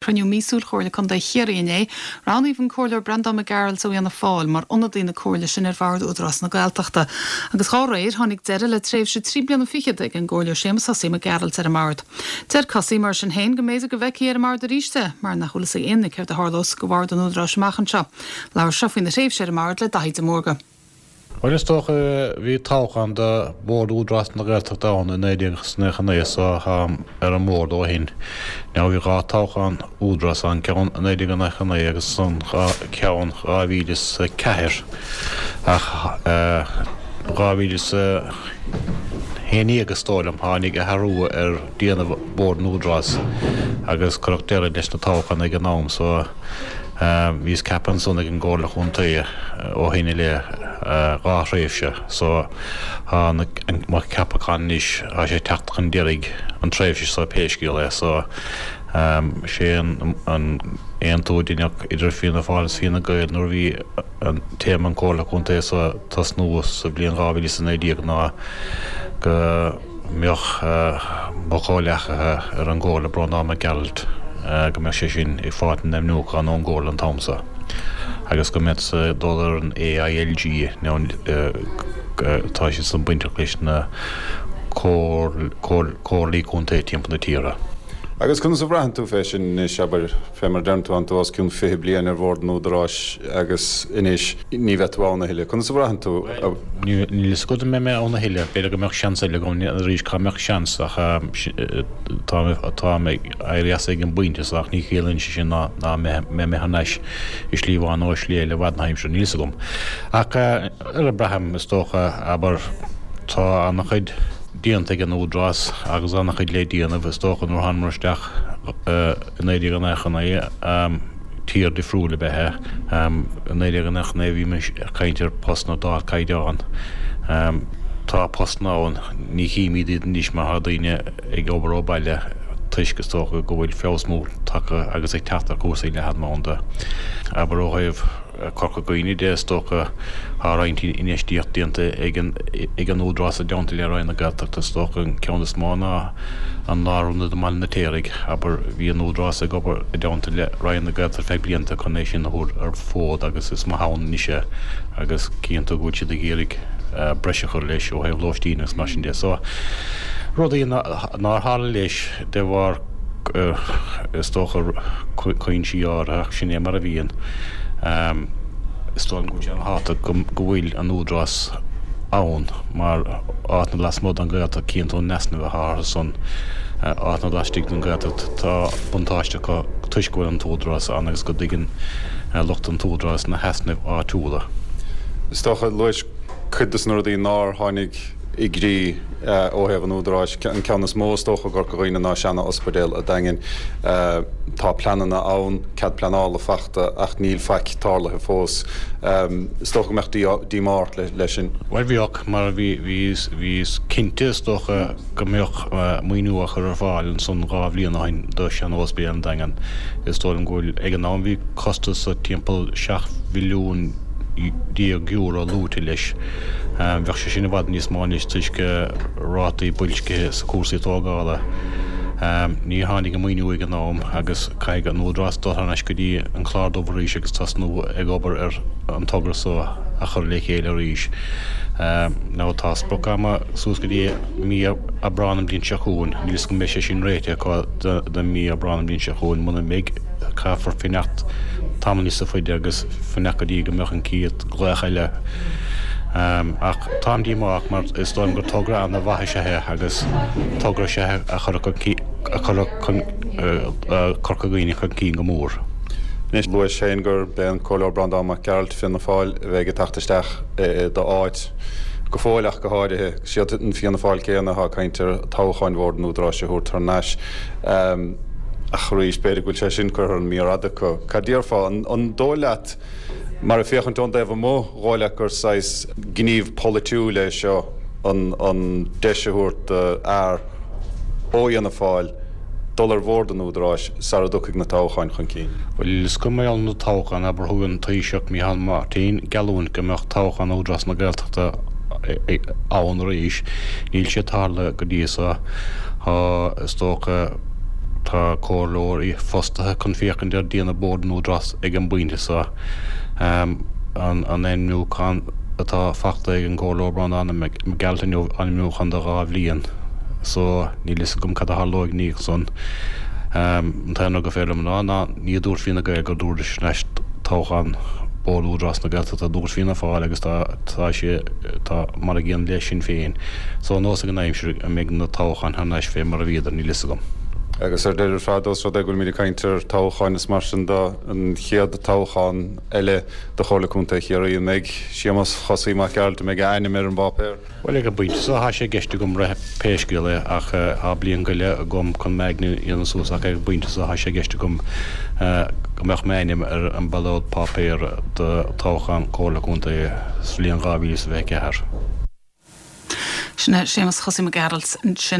Cruinniú míosúil Chomhairle Contae Chiarraí inné, roghnaíodh an Comhairleoir Breandán Mac Gearailt ó Fhianna Fáil mar ionadaí na Comhairle sin ar Bhord Údarás na Gaeltachta. Agus dhá réir, tháinig deireadh le tréimhse 3 bliana fichead ag an gComhairleoir Séamus Hussey Mac Gearailt ar an mbord. Deir Cussey, mar sin féin, go mb'fhéidir go bhfeicfí ar an mbord arís é, mar nach bhfuil fhios ag aon duine céard a tharlós go Bhord an Údaráis amach anseo. Labhair sé faoina thréimhse ar an mbord le Daithí de Mórdha. Bhuel, is dócha, bhí toghchán do Bhord Údarás na Gaeltachta ann i 1999 so táim ar an mbord ó shin. Now bhí 2 toghchán Údarás ann, ceann i 1999 agus an ceann 2004 ach 2011 is dóigh liom tháinig athrú ar déanamh Bhord an Údarás agus cuireadh deireadh leis na toghcháin ag an am so Bhíos ceaptha ansan ag an gComhairle Chontae ó shin i leith, 2 thréimhse, so tá mo cheapachán anois, tá sé ag teacht chun deiridh an tréimhse so pé scéal é, so sé an aontú a deineadh idir Fianna Fáil is Fine Gael nuair a bhí an téarma an Chomhairle Contae so ag tosnú sa bhliain 2019 ná go. mbeadh mo chomhleacaithe ar an gComhairle, Breandán Mac Gearailt, go mbeadh sé sin ag fáilt an ainmniúchán ón gComhairle an t-am so agus go mbeadh ag dul ar an AILG nó tá siad san bainteach leis na Comhairlí Contae timpeall na tíre. Agus conas a bhraitheann tú fé sin anois, abair, fé mar a deireann tú, tánn tú os cionn 20 bliain ar Bhord an Údaráis agus anois ní bheidh tú ann a thuilleadh. Conas a bhraitheann tú? Bhuel, níl fhios agat an mbeidh mé ann a thuilleadh. B'fhéidir go mbeadh seans eile agam arís, cá mbeadh seans ach táim ag éirí as ag an bpointe so ach ní chiallaíonn sé sin ná mbeidh mé thar n-ais i slí amháin nó i slí eile i bhfad na haimsire, níl fhios agam. Ach ar a braithim, is dócha, abair, tá an-chuid. déanta ag an Údarás agus an-chuid le déanamh, is dócha, nuair a thánamar isteach i 1999, tír difriúil ab ea é. I 1999 bhímis ag caint ar postanna d'ardchaighdeán. Tá postanna ann, ní chímid iad anois mar tá daoine ag obair ó baile toisc, is dócha, go bhfuil feabhas mór tagtha agus ag teacht ar chúrsaí leathanbhanda. Abair ó thaobh. Corca Dhuibhne de, is dócha. Tá roinnt infheistíocht déanta ag an Údarás i dteannta le Roinn na Gaeltachta. Is dócha an ceann is mó ná an lárionad i mBaile an Fheirtéaraigh. Abair, bhí an Údarás ag obair i dteannta le Roinn na Gaeltachta ar feadh blianta chun é sin a thabhairt ar fód agus is maith ann anois é agus cíonn tú go bhfuil siad ag iarraidh breis a chur leis ó thaobh lóistín agus mar sin de. So, rudaí nár tharla leis de bharr is dócha, cúinsí áirithe, ach sin é mar a bhíonn. Is dóigh liom go bhfuil sé an-tábhachtach go bhfuil an Údarás ann mar áiteanna lasmuigh den Ghaeltacht, cíonn tú an easnamh atá orthu san áiteanna laistigh den Ghaeltacht. Tá buntáiste acu toisc go bhfuil an tÚdarás ann agus go dtuigeann lucht an tÚdaráis na heasnaimh áitiúla. Is dócha, luais cuid de na rudaí nár tháinig i gcrích ó thaobh an Údaráis. An ceann is mó is dócha i gCorca Dhuibhne ná seana-ospidéal a' Daingin. Tá pleananna ann, cead pleanála fachta ach níl faic tarlaithe fós. Is dócha go mbeadh díomá ort leis sin. Bhuel bheadh, mar bhíos cinnte is dócha go mbeadh maoiniú á chur ar fáil ansan 2 bhliain ó shin do sheana-ospidéal an Daingin. Is dóigh liom go bhfuil, ag an am bhí costas timpeall €7 mhilliún luaite leis. Bheadh sé sin i bhfad níos mó anois toisc rátaí boilscithe sa cúrsaí tógála. Ní tháinig an maoiniú ag an am agus caithfidh an Údarás dul thar n-ais go dtí an clár dubh arís agus tosnú ag obair ar an togra so a chur le chéile arís. Now tá sprioc ama suas go dtí mí Aibreán an bhliain seo chugainn. Níl 'fhios agam an mbeidh sé sin réitithe acu do mí Aibreán an bhliain seo chugainn. Muna mbeidh, caithfear fanacht tamall níosa faide agus fanacht go dtí go mbeadh an chéad ghlaoch eile. Ach táim díomách mar is dóigh liom gur togra ana-mhaith is ea é agus togra is ea é a chuirfeadh Corca Dhuibhne chun cinn go mór. Anois, luais féin gurb é an Comhairleoir Breandán Mac Gearailt, Fianna Fáil, a bheidh ag teacht isteach i d'áit go fóill ach go háirithe. Siad an Fianna Fáil céanna atá ag caint ar toghcháin Bhord an Údaráis a thabhairt thar n-ais. Ach arís, b'fhéidir go bhfuil sé sin curtha ar an mír fhada acu. Cad déarfá? An dóigh leat Mar ag féachaint ón dtaobh amuigh, dhóigh leat gur saghas gníomh polaitiúil é seo an deis a thabhairt do fhear ó Fhianna Fáil dul ar bhord an Údaráis sara dtiocfaidh na toghcháin chun cinn? Bhuel, is cuma ar na toghcháin, abair, thug an Taoiseach Micheál Martin geallúint go mbeadh toghchán Údarás na Gaeltachta ann arís. Níl sé tarlaithe go dtí so. Tá, is dócha. Tá comhairleoirí fostaithe chun féachaint ar déanamh Bord an Údarás ag an bpointe seo. An ainmniúchán atá fachta ag an gComhairleoir Breandán Mac Gearailt inniu, ainmniúchán do 2 bhliain, so níl fhios agam cad a tharlóidh ina dhiaidh san. An t-aon rud gur féidir liom a rá ná ní dúirt Fine Gael go dtabharfaidís thar n-ais toghchán Bord Údarás na Gaeltachta, dúirt Fianna Fáil agus tá tá sé tá mar a gcéanna le Sinn Féin. So anuas ag an aimsir an mbeidh na toghcháin thar n-ais fé mar a bhíodar, níl fhios agam. Agus ar deireadh ar fad, ós rud é go bhfuilimid ag caint ar toghcháin is mar sin de, an chéad toghchán eile do Chomhairle Contae Chiarraí, an mbeidh Séamus Chosaí Mac Gearailt, an mbeidh a ainm ar an bpáipéar? Bhuel, ag an bpointe seo, tá sé i gceist agam rith pé scéal é ach tá bliain go leith agam chun m'aigne a dhéanamh suas ach ag an bpointe seo, tá sé i gceist agam go mbeadh m'ainm ar an ballóid páipéir do toghchán Comhairle Contae sa bhliain 2024. Sin é Séamus Chosaí Mac Gearailt ansin.